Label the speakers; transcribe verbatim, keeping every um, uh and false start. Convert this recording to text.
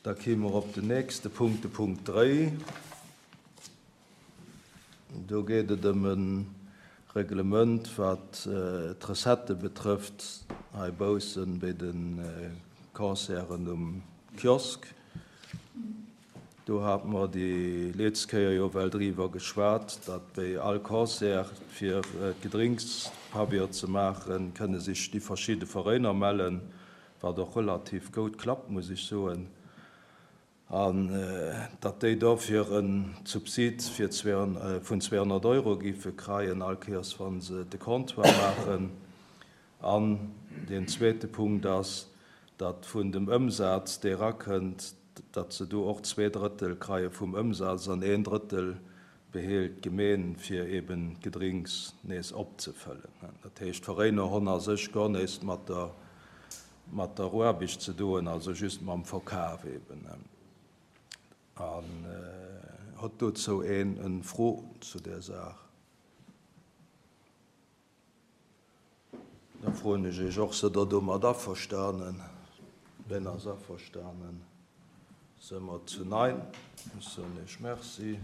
Speaker 1: Da kéime mer op den nächste Punkt, de Punkt dräi. Do geet et ëm e Reglement, wat d'Recettë betrëfft hei baussen bei de Concerten um Kiosk. Do hate mer déi letzte Kéier jo well driwwer geschwat, datt bei all Concert, fir d'Gedrinkspabeier ze maachen, kënne sech déi verschidde Veräiner mellen, wat och relativ goud klappt, muss ech soen, an datt déi dofir e Subsid fir vun zweehonnert Euro géife kreien, all Kéiers wa se de Comptoir maachen. An deen zweete Punkt ass, datt vun dem Ëmsaz, dee erakënnt, datt se do och zwee Drëttel kreie vum Ëmsaz an een Drëttel behélt d'Gemeen, fir eben d'Gedrinks nees opzefëllen. Dat heescht, d'Veräiner hunn a sech guer näischt mat der, mat der Aarbecht ze doen, also just mam Verkaf eben. An hott dozou een en Fro zu där Saach? Da froen ech Iech och, Sidd Der domat averstanen? Wien ass averstanen? Si mer zu nein. Ech soen Iech Merci.